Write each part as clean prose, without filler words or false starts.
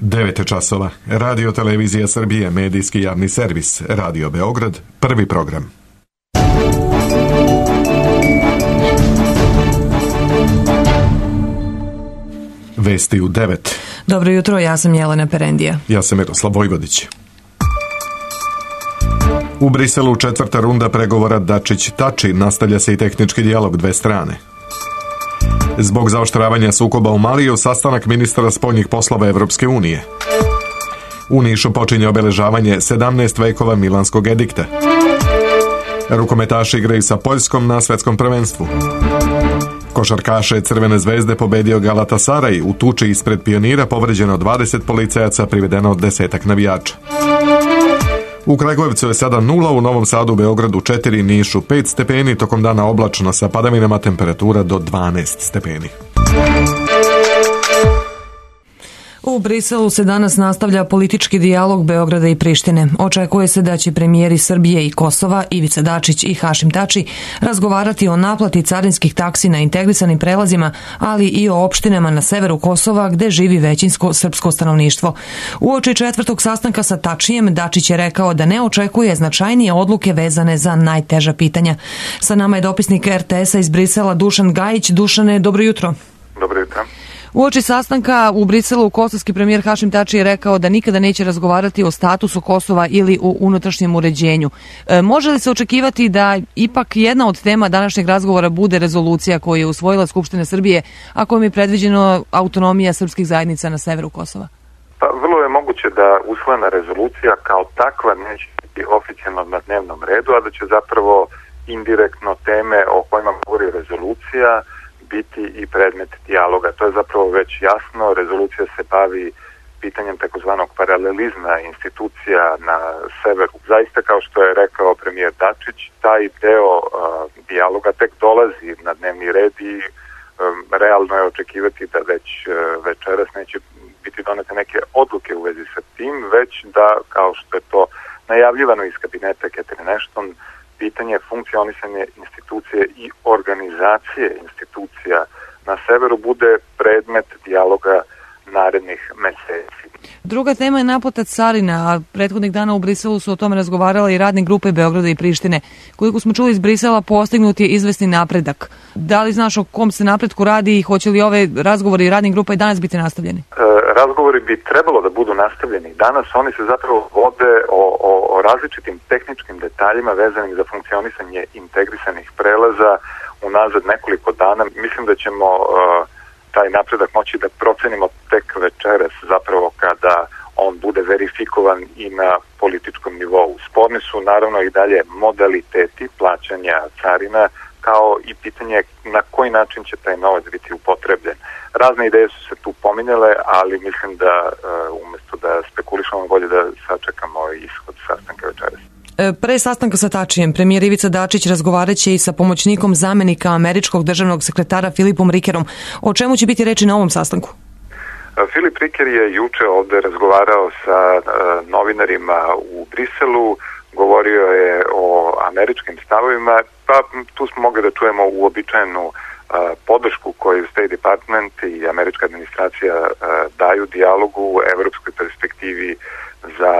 9 časova. Radio Televizija Srbije, medijski javni servis, Radio Beograd, prvi program. Vesti u 9. Dobro jutro, ja sam Jelena Perendija. Ja sam Miroslav Vojvodić. U Briselu 4. runda pregovora Dačić-Tači, nastavlja se i tehnički dijalog dve strane. Zbog zaoštravanja sukoba u Maliju, sastanak ministara spoljnih poslova Evropske unije. U Nišu počinje obeležavanje 17 vekova Milanskog edikta. Rukometaši igraju sa Poljskom na svetskom prvenstvu. Košarkaše Crvene zvezde pobedio Galatasaraj, u tuči ispred Pionira povređeno 20 policajaca, privedeno 10 navijača. U Kragujevcu je sada 0, u Novom Sadu, Beogradu 4, Nišu 5 stepeni, tokom dana oblačno sa padavinama, temperatura do 12 stepeni. U Briselu se danas nastavlja politički dijalog Beograda i Prištine. Očekuje se da će premijeri Srbije i Kosova, Ivica Dačić i Hašim Tači, razgovarati o naplati carinskih taksi na integrisanim prelazima, ali i o opštinama na severu Kosova gde živi većinsko srpsko stanovništvo. Uoči 4. sastanka sa Tačijem, Dačić je rekao da ne očekuje značajnije odluke vezane za najteža pitanja. Sa nama je dopisnik RTS-a iz Brisela Dušan Gajić. Dušane, dobro jutro. Dobro jutro. Uoči sastanka u Briselu kosovski premijer Hašim Tači je rekao da nikada neće razgovarati o statusu Kosova ili o unutrašnjem uređenju. Može li se očekivati da ipak jedna od tema današnjeg razgovora bude rezolucija koju je usvojila Skupština Srbije, a kojom je predviđeno autonomija srpskih zajednica na severu Kosova? Pa vrlo je moguće da usvojena rezolucija kao takva neće biti oficijalno na dnevnom redu, a da će zapravo indirektno teme o kojima govori rezolucija biti i predmet dijaloga. To je zapravo već jasno. Rezolucija se bavi pitanjem takozvanog paralelizma institucija na severu. Zaista, kao što je rekao premijer Dačić, taj deo dijaloga tek dolazi na dnevni red i realno je očekivati da već večeras neće biti donete neke odluke u vezi sa tim, već da, kao što je to najavljivano iz kabineta Catherine Ashton, pitanje funkcionisanja institucije i organizacije institucija na severu bude predmet dijaloga narednih meseci. Druga tema je naplata carina, a prethodnih dana u Briselu su o tome razgovarale i radne grupe Beograda i Prištine. Koliko smo čuli iz Brisela, postignut je izvesni napredak. Da li znaš o kom se napretku radi i hoće li ove razgovori i radnih grupa i danas biti nastavljeni? Razgovori bi trebalo da budu nastavljeni. Danas oni se zapravo vode o različitim tehničkim detaljima vezanim za funkcionisanje integrisanih prelaza unazad nekoliko dana. Mislim da ćemo taj napredak moći da procenimo tek večeras, zapravo kada on bude verifikovan i na političkom nivou. Sporni su naravno i dalje modaliteti plaćanja carina, kao i pitanje na koji način će taj novac biti upotrebljen. Razne ideje su se tu pominjale, ali mislim da umjesto da spekulišemo, bolje da sačekamo ishod sastanka večeras. Pre sastanka sa Tačijem, premijer Ivica Dačić razgovaraće i sa pomoćnikom zamenika američkog državnog sekretara Filipom Rikerom. O čemu će biti reči na ovom sastanku? Filip Riker je juče ovde razgovarao sa novinarima u Briselu, govorio je o američkim stavovima, pa tu smo mogli da čujemo uobičajenu podršku koju State Department i američka administracija daju dijalogu, evropskoj perspektivi za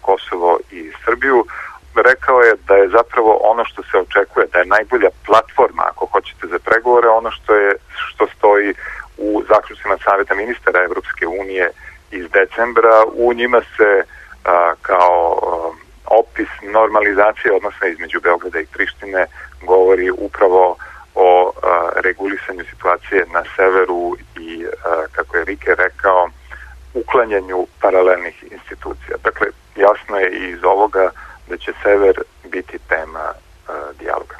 Kosovo i Srbiju. Rekao je da je zapravo ono što se očekuje, da je najbolja platforma, ako hoćete, za pregovore, ono što stoji u zaključcima Saveta ministara Evropske unije iz decembra. U njima se kao opis normalizacije odnosa između Beograda i Prištine govori upravo o regulisanju situacije na severu i, kako je Rike rekao, uklanjanju paralelnih institucija. Dakle, jasno je i iz ovoga da će sever biti tema dijaloga.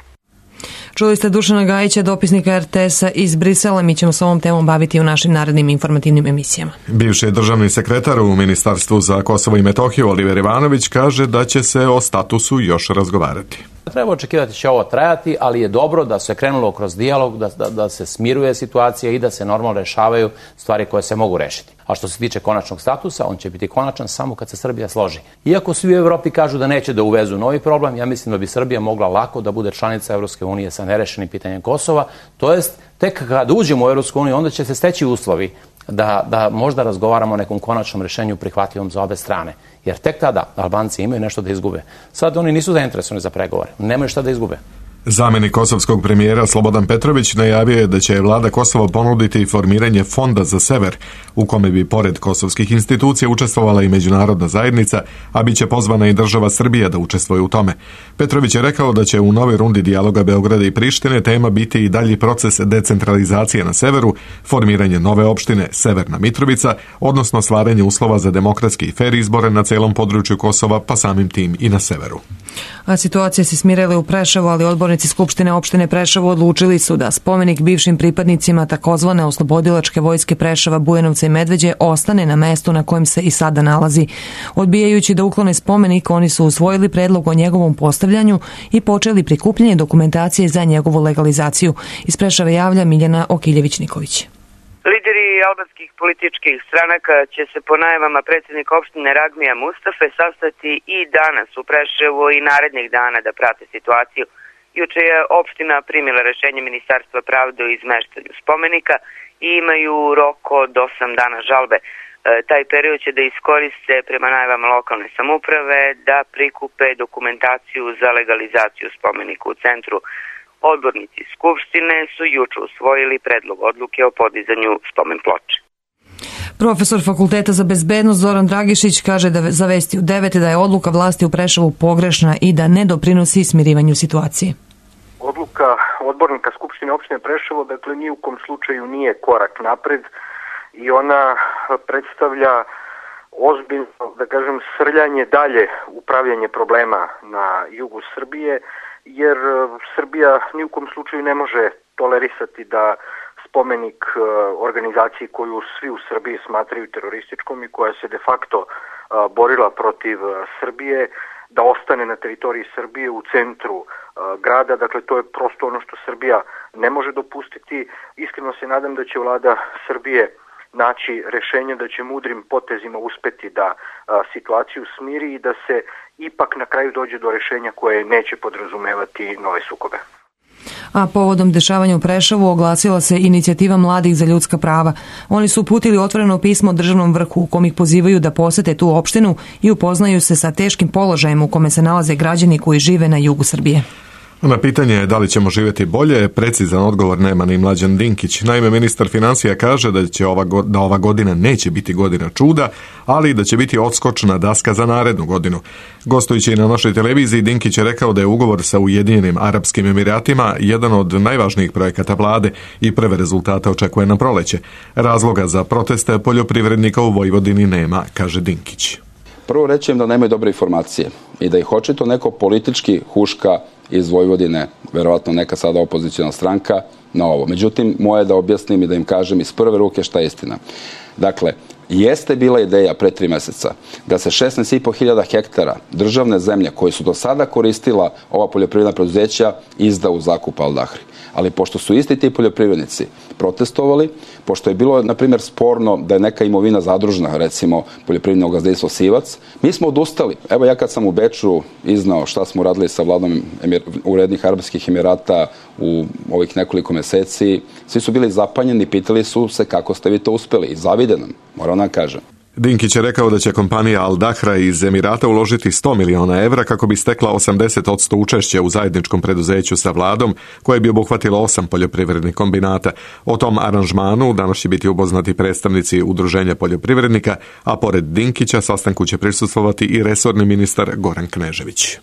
Čuli ste Dušana Gajića, dopisnika RTS-a iz Brisela. Mi ćemo s ovom temom baviti u našim narednim informativnim emisijama. Bivši državni sekretar u Ministarstvu za Kosovo i Metohiju Oliver Ivanović kaže da će se o statusu još razgovarati. Treba očekivati da će ovo trajati, ali je dobro da se krenulo kroz dijalog, da se smiruje situacija i da se normalno rešavaju stvari koje se mogu rešiti. A što se tiče konačnog statusa, on će biti konačan samo kad se Srbija složi. Iako svi u Evropi kažu da neće da uvezu novi problem, ja mislim da bi Srbija mogla lako da bude članica Evropske unije sa nerešenim pitanjem Kosova, to jest tek kad uđemo u Evropsku uniju, onda će se steći uslovi da možda razgovaramo o nekom konačnom rešenju prihvatljivom za obe strane. Jer tek tada Albanci imaju nešto da izgube. Sad oni nisu zainteresovani za pregovore, nemaju šta da izgube. Zamjenik kosovskog premijera Slobodan Petrović najavio je da će vlada Kosova ponuditi formiranje fonda za sever, u kome bi pored kosovskih institucija učestvovala i međunarodna zajednica, a bit će pozvana i država Srbija da učestvuje u tome. Petrović je rekao da će u novoj rundi dijaloga Beograda i Prištine tema biti i dalji proces decentralizacije na severu, formiranje nove opštine Severna Mitrovica, odnosno stvaranje uslova za demokratski i fer izbore na celom području Kosova, pa samim tim i na severu. A situacija se smirila u Preševu, ali odbornici Skupštine opštine Preševo odlučili su da spomenik bivšim pripadnicima takozvane oslobodilačke vojske Preševa, Bujanovca i Medveđe ostane na mestu na kojem se i sada nalazi. Odbijajući da uklone spomenik, oni su usvojili predlog o njegovom postavljanju i počeli prikupljanje dokumentacije za njegovu legalizaciju. Iz Preševa javlja Miljana Okiljević-Niković. Lideri albanskih političkih stranaka će se po najavama predsjednika opštine Ragmija Mustafe sastati i danas u Preševu i narednih dana da prate situaciju. Juče je opština primila rešenje Ministarstva pravde o izmeštanju spomenika i imaju rok od 8 dana žalbe. Taj period će da iskoriste prema najavama lokalne samouprave da prikupe dokumentaciju za legalizaciju spomenika u centru. Odbornici Skupštine su juče usvojili predlog odluke o podizanju spomen ploče. Profesor Fakulteta za bezbednost Zoran Dragišić kaže da za Vesti u 9 da je odluka vlasti u Preševu pogrešna i da ne doprinosi smirivanju situacije. Odluka odbornika Skupštine opštine Preševo, dakle, ni u kom slučaju nije korak napred i ona predstavlja ozbiljno, da kažem, srljanje dalje u pravljanje problema na jugu Srbije, jer Srbija ni u kom slučaju ne može tolerisati da spomenik organizaciji koju svi u Srbiji smatraju terorističkom i koja se de facto borila protiv Srbije, da ostane na teritoriji Srbije u centru grada. Dakle, to je prosto ono što Srbija ne može dopustiti. Iskreno se nadam da će vlada Srbije naći rešenje, da će mudrim potezima uspeti da situaciju smiri i da se ipak na kraju dođe do rešenja koje neće podrazumevati nove sukobe. A povodom dešavanja u Preševu oglasila se inicijativa Mladih za ljudska prava. Oni su uputili otvoreno pismo državnom vrhu u kom ih pozivaju da posete tu opštinu i upoznaju se sa teškim položajem u kome se nalaze građani koji žive na jugu Srbije. Na pitanje da li ćemo živjeti bolje, precizan odgovor nema ni Mlađan Dinkić. Naime, ministar financija kaže da ova godina neće biti godina čuda, ali da će biti odskočna daska za narednu godinu. Gostujući na našoj televiziji, Dinkić je rekao da je ugovor sa Ujedinjenim Arapskim Emiratima jedan od najvažnijih projekata vlade i prve rezultate očekuje na proleće. Razloga za proteste poljoprivrednika u Vojvodini nema, kaže Dinkić. Prvo reći im da nemaju dobre informacije i da ih očito neko politički huška iz Vojvodine, verovatno neka sada opozicijna stranka, na ovo. Međutim, moje je da objasnim i da im kažem iz prve ruke šta je istina. Dakle, jeste bila ideja pre 3 meseca da se 16.500 hektara državne zemlje koje su do sada koristila ova poljoprivredna preduzeća izda u zakup Al Dahri. Ali pošto su isti ti poljoprivrednici protestovali, pošto je bilo, na primjer, sporno da je neka imovina zadružna, recimo poljoprivredno gazdinstvo Sivac, mi smo odustali. Evo, ja kad sam u Beču iznao šta smo radili sa vladom Ujedinjenih Arapskih Emirata u ovih nekoliko meseci, svi su bili zapanjeni, pitali su se kako ste vi to uspeli i zavide nam, moram nam kažem. Dinkić je rekao da će kompanija Al Dahra iz Emirata uložiti 100 miliona evra kako bi stekla 80% učešća u zajedničkom preduzeću sa vladom, koje bi obuhvatilo 8 poljoprivrednih kombinata. O tom aranžmanu danas će biti upoznati predstavnici Udruženja poljoprivrednika, a pored Dinkića sastanku će prisustvovati i resorni ministar Goran Knežević.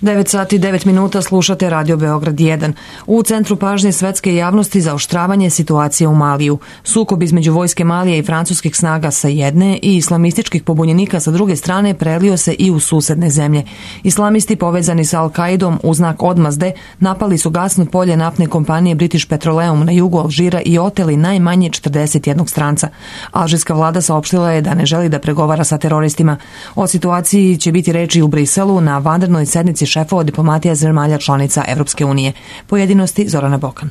9 sati 9 minuta slušate Radio Beograd 1. U centru pažnje svetske javnosti zaoštravanje situacije u Maliju. Sukob između vojske Malije i francuskih snaga sa jedne i islamističkih pobunjenika sa druge strane prelio se i u susedne zemlje. Islamisti povezani sa Al-Kaidom u znak odmazde napali su gasno polje naftne kompanije British Petroleum na jugu Alžira i oteli najmanje 41 stranca. Alžirska vlada saopštila je da ne želi da pregovara sa teroristima. O situaciji će biti reči u Briselu na vanrednoj sednici šefova diplomatija zemalja članica Evropske unije. Pojedinosti Zorana Bokan.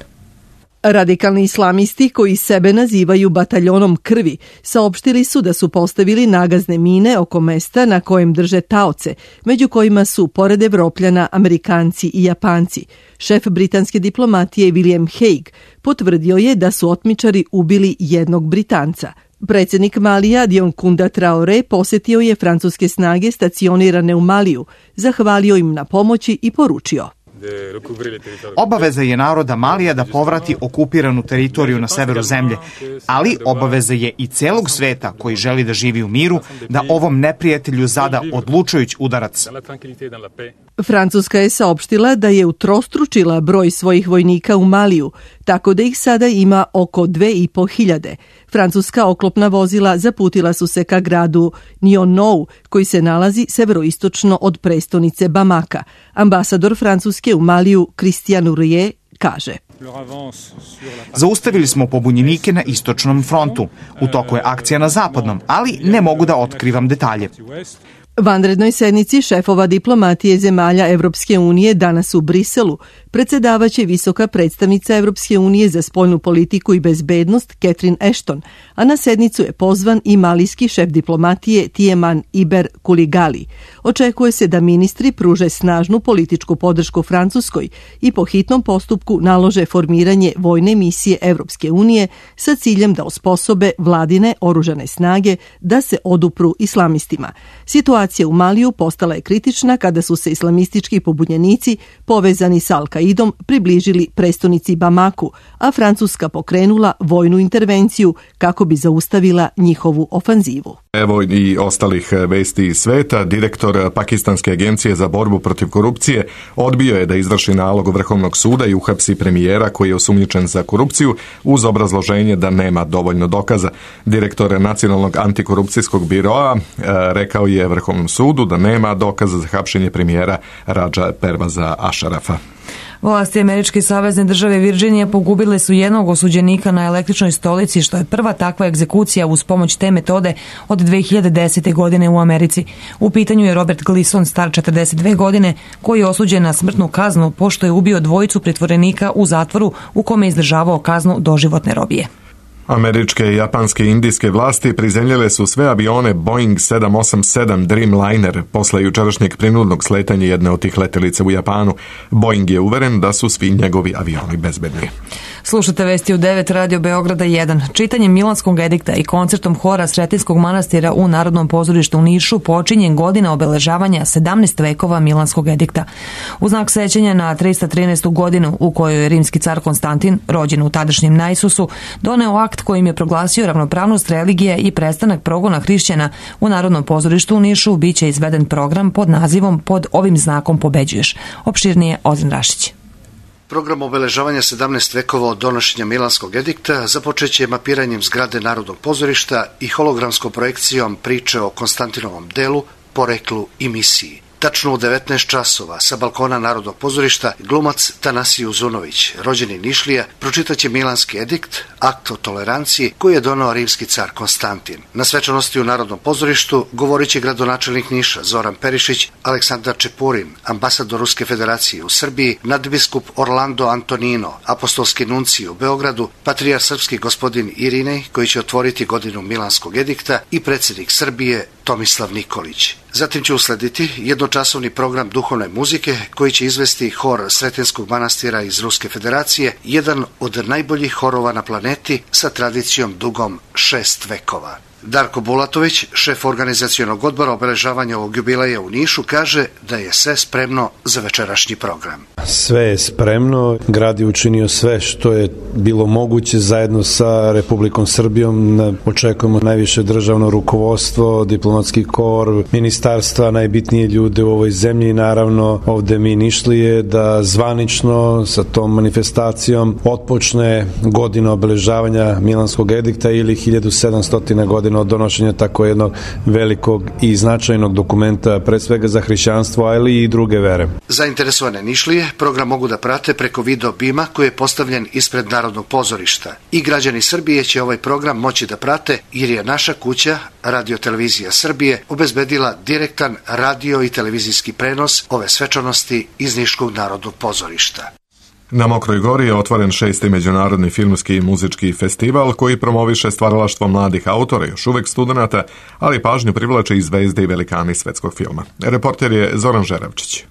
Radikalni islamisti koji sebe nazivaju bataljonom krvi saopštili su da su postavili nagazne mine oko mesta na kojem drže taoce, među kojima su, pored Evropljana, Amerikanci i Japanci. Šef britanske diplomatije William Hague potvrdio je da su otmičari ubili jednog Britanca. Predsjednik Malija Dioncounda Traoré posjetio je francuske snage stacionirane u Maliju, zahvalio im na pomoći i poručio: Obaveza je naroda Malija da povrati okupiranu teritoriju na severu zemlje, ali obaveza je i celog sveta koji želi da živi u miru, da ovom neprijatelju zada odlučujući udarac. Francuska je saopštila da je utrostručila broj svojih vojnika u Maliju, tako da ih sada ima oko 2.500. Francuska oklopna vozila zaputila su se ka gradu Nionou, koji se nalazi severoistočno od prestonice Bamaka. Ambasador Francuske u Maliju Christian Urier kaže: Zaustavili smo pobunjenike na istočnom frontu. U toku je akcija na zapadnom, ali ne mogu da otkrivam detalje. Vanrednoj sednici šefova diplomatije zemalja Evropske unije danas u Briselu predsjedavaće visoka predstavnica Evropske unije za spoljnu politiku i bezbednost Catherine Ashton, a na sednicu je pozvan i malijski šef diplomatije Tieman Iber Kuligali. Očekuje se da ministri pruže snažnu političku podršku Francuskoj i po hitnom postupku nalože formiranje vojne misije Evropske unije sa ciljem da osposobe vladine oružane snage da se odupru islamistima. Situacija u Maliju postala je kritična kada su se islamistički pobunjenici povezani s Al-Kaidom približili prestonici Bamaku, a Francuska pokrenula vojnu intervenciju kako bi zaustavila njihovu ofanzivu. Evo i ostalih vesti iz sveta. Direktor Pakistanske agencije za borbu protiv korupcije odbio je da izvrši nalog Vrhovnog suda i uhapsi premijera koji je osumnjičen za korupciju uz obrazloženje da nema dovoljno dokaza. Direktor Nacionalnog antikorupcijskog biroa rekao je Vrhovnom sudu da nema dokaza za hapšenje premijera Raja Pervaza Asharafa. Vlasti Američke savezne države Virginije pogubile su jednog osuđenika na električnoj stolici, što je prva takva egzekucija uz pomoć te metode od 2010. godine u Americi. U pitanju je Robert Gleason, star 42 godine, koji je osuđen na smrtnu kaznu pošto je ubio dvojicu pritvorenika u zatvoru u kome je izdržavao kaznu doživotne robije. Američke, japanske i indijske vlasti prizemljile su sve avione Boeing 787 Dreamliner posle jučerašnjeg prinudnog sletanja jedne od tih letelica u Japanu. Boeing je uveren da su svi njegovi avioni bezbedni. Slušate vesti u 9 Radio Beograda 1. Čitanjem Milanskog edikta i koncertom hora Sretenskog manastira u Narodnom pozorištu u Nišu počinje godina obeležavanja 17 vekova Milanskog edikta. U znak sećanja na 313. godinu u kojoj je rimski car Konstantin, rođen u tadašnjem Naisusu, doneo akt kojim je proglasio ravnopravnost religije i prestanak progona hrišćana, u Narodnom pozorištu u Nišu biće izveden program pod nazivom Pod ovim znakom pobeđuješ. Opširnije Ozren Rašić. Program obeležavanja 17 vekova od donošenja Milanskog edikta započeće mapiranjem zgrade Narodnog pozorišta i hologramskom projekcijom priče o Konstantinovom delu, poreklu i misiji. Tačno u 19 časova sa balkona Narodnog pozorišta glumac Tanasiju Uzunović, rođeni Nišlija, pročitaće Milanski edikt, akt o toleranciji koji je doneo rimski car Konstantin. Na svečanosti u Narodnom pozorištu govorit će gradonačelnik Niša Zoran Perišić, Aleksandar Čepurin, ambasador Ruske federacije u Srbiji, nadbiskup Orlando Antonino, apostolski nuncij u Beogradu, patrijar srpski gospodin Irinej koji će otvoriti godinu Milanskog edikta i predsjednik Srbije Tomislav Nikolić. Zatim će uslediti jednočasovni program duhovne muzike koji će izvesti hor Sretenskog manastira iz Ruske federacije, jedan od najboljih horova na planeti sa tradicijom dugom 6 vekova. Darko Bulatović, šef organizacionog odbora obeležavanja ovog jubileja u Nišu, kaže da je sve spremno za večerašnji program. Sve je spremno, grad je učinio sve što je bilo moguće zajedno sa Republikom Srbijom. Očekujemo najviše državno rukovodstvo, diplomatski kor, ministarstva, najbitnije ljude u ovoj zemlji i naravno ovde mi Nišlije da zvanično sa tom manifestacijom otpočne godina obeležavanja Milanskog edikta ili 1700 godina od donošenja tako jednog velikog i značajnog dokumenta, pre svega za hrišćanstvo, ali i druge vere. Zainteresovane Nišlije program mogu da prate preko video bima koji je postavljen ispred Narodnog pozorišta. I građani Srbije će ovaj program moći da prate jer je naša kuća, Radio-televizija Srbije, obezbedila direktan radio i televizijski prenos ove svečanosti iz Niškog Narodnog pozorišta. Na Mokroj Gori je otvoren 6. međunarodni filmski i muzički festival koji promoviše stvaralaštvo mladih autora, još uvek studenata, ali pažnju privlače i zvezde i velikani svetskog filma. Reporter je Zoran Žeravčić.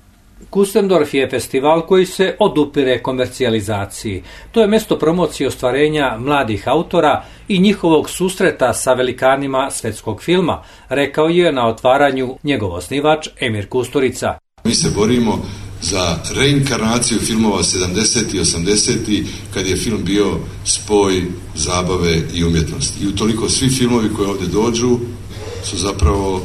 Kustendorf je festival koji se odupire komercijalizaciji. To je mesto promocije ostvarenja mladih autora i njihovog susreta sa velikanima svetskog filma, rekao je na otvaranju njegov osnivač Emir Kusturica. Mi se borimo za reinkarnaciju filmova 70. i 80. kad je film bio spoj zabave i umjetnosti. I utoliko svi filmovi koji ovdje dođu su zapravo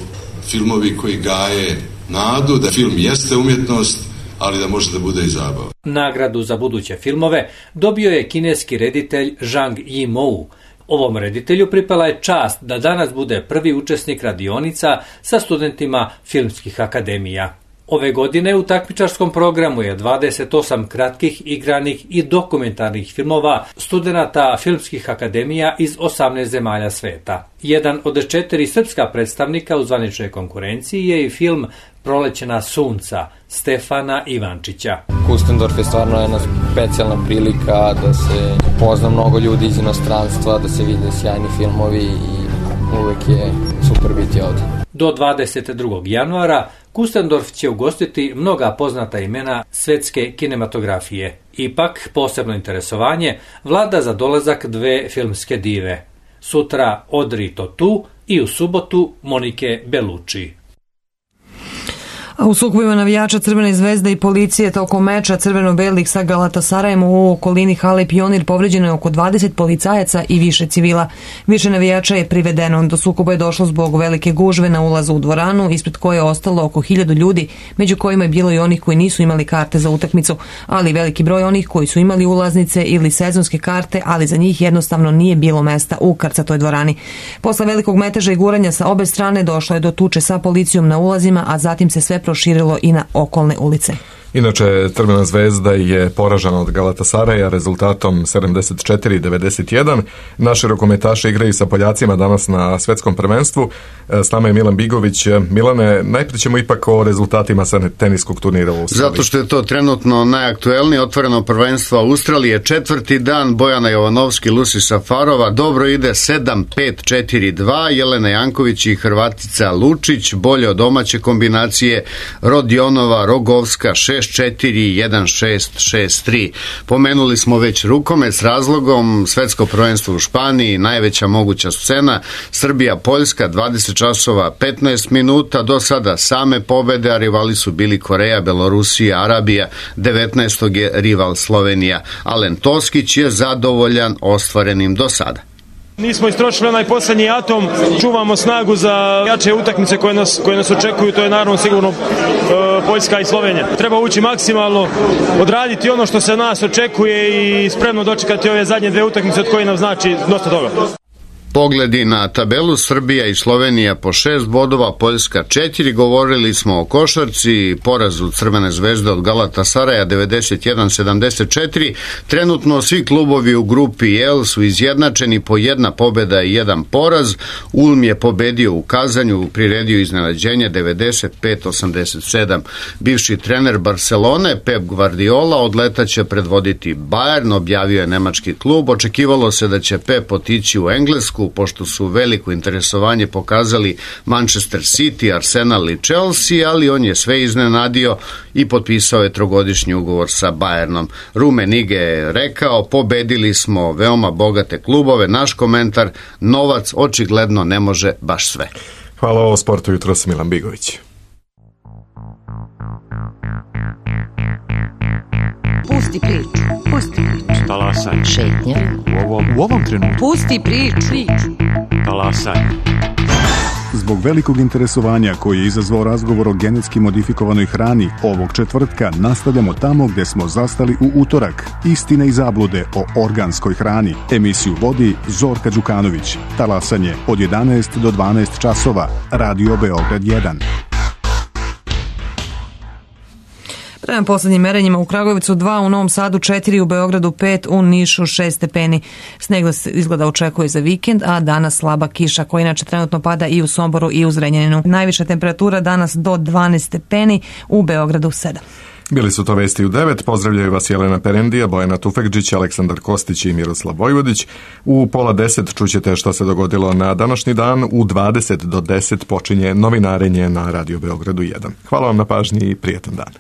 filmovi koji gaje nadu da film jeste umjetnost, ali da može da bude i zabava. Nagradu za buduće filmove dobio je kineski reditelj Zhang Yimou. Ovom reditelju pripala je čast da danas bude prvi učesnik radionica sa studentima filmskih akademija. Ove godine u takmičarskom programu je 28 kratkih, igranih i dokumentarnih filmova studenata filmskih akademija iz 18 zemalja sveta. Jedan od 4 srpska predstavnika u zvaničnoj konkurenciji je i film Prolećena sunca Stefana Ivančića. Kustendorf je stvarno jedna specijalna prilika da se pozna mnogo ljudi iz inostranstva, da se vide sjajni filmovi i uvek je super biti ovdje. Do 22. januara Kustendorf će ugostiti mnoga poznata imena svetske kinematografije. Ipak, posebno interesovanje vlada za dolazak 2 filmske dive. Sutra Audrey Tautou i u subotu Monike Bellucci. A u sukobima navijača Crvene zvezde i policije tokom meča crveno-belih sa Galatasarajem u okolini hale Pionir povređeno je oko 20 policajaca i više civila. Više navijača je privedeno. Do sukoba je došlo zbog velike gužve na ulazu u dvoranu, ispred koje je ostalo oko 1000 ljudi, među kojima je bilo i onih koji nisu imali karte za utakmicu, ali veliki broj onih koji su imali ulaznice ili sezonske karte, ali za njih jednostavno nije bilo mesta u krcatoj dvorani. Posle velikog meteža i guranja sa obe strane došlo je do tuče sa policijom na ulazima, a zatim se sve proširilo i na okolne ulice. Inače, Crvena zvezda je poražena od Galatasaraja rezultatom 74-91. Naši rukometaši igraju sa Poljacima danas na svetskom prvenstvu. S nama je Milan Bigović. Milane, najprije ćemo ipak o rezultatima sa teniskog turnira u Australiji. Zato što je to trenutno najaktuelnije. Otvoreno prvenstvo Australije, 4. dan. Bojana Jovanovski, Lucy Safarova. Dobro ide 7-5-4-2. Jelena Janković i Hrvatica Lučić. Bolje od domaće kombinacije. Rodionova, Rogovska, 6-4-1-6-6-3. Pomenuli smo već rukomet s razlogom. Svetsko prvenstvo u Španiji, najveća moguća scena. Srbija, Poljska, 20 časova 15 minuta. Do sada same pobede, a rivali su bili Koreja, Belorusija, Arabija. 19. je rival Slovenija. Alen Toskić je zadovoljan ostvarenim do sada. Nismo istrošili onaj posljednji atom, čuvamo snagu za jače utakmice koje nas očekuju, to je naravno sigurno Poljska i Slovenija. Treba ući maksimalno, odraditi ono što se nas očekuje i spremno dočekati ove zadnje 2 utakmice od koje nam znači dosta toga. Pogledi na tabelu, Srbija i Slovenija po 6 bodova, Poljska 4. Govorili smo o košarci, porazu Crvene zvezde od Galatasaraja 91-74. Trenutno svi klubovi u grupi L su izjednačeni po 1 pobjeda i 1 poraz. Ulm je pobedio u Kazanju, priredio iznenađenje 95-87. Bivši trener Barcelone Pep Guardiola odletaće predvoditi Bayern, objavio je nemački klub. Očekivalo se da će Pep otići u Englesku, pošto su veliko interesovanje pokazali Manchester City, Arsenal i Chelsea, ali on je sve iznenadio i potpisao je 3-godišnji ugovor sa Bayernom. Rummenigge je rekao, pobedili smo veoma bogate klubove, naš komentar, novac očigledno ne može baš sve. Hvala o sportu jutros, Milan Bigović. Pusti priču. Talasaj. Šetnja. U ovom trenutku. Pusti priču. Talasaj. Zbog velikog interesovanja koji je izazvao razgovor o genetski modifikovanoj hrani, ovog četvrtka nastavljamo tamo gde smo zastali u utorak. Istine i zablude o organskoj hrani. Emisiju vodi Zorka Đukanović. Talasanje od 11 do 12 časova. Radio Beograd 1. Prema poslednjim merenjima u Kragujevcu 2, u Novom Sadu 4, u Beogradu 5, u Nišu 6 stepeni. Sneg izgleda očekuje za vikend, a danas slaba kiša koja inače trenutno pada i u Somboru i u Zrenjaninu. Najviša temperatura danas do 12 stepeni, u Beogradu 7. Bili su to vesti u 9, pozdravljaju vas Jelena Perendija, Bojana Tufekđić, Aleksandar Kostić i Miroslav Vojvodić. U 9:30 čućete šta se dogodilo na današnji dan, u 20 do 10 počinje novinarenje na Radio Beogradu 1. Hvala vam na pažnji i prijetan dan.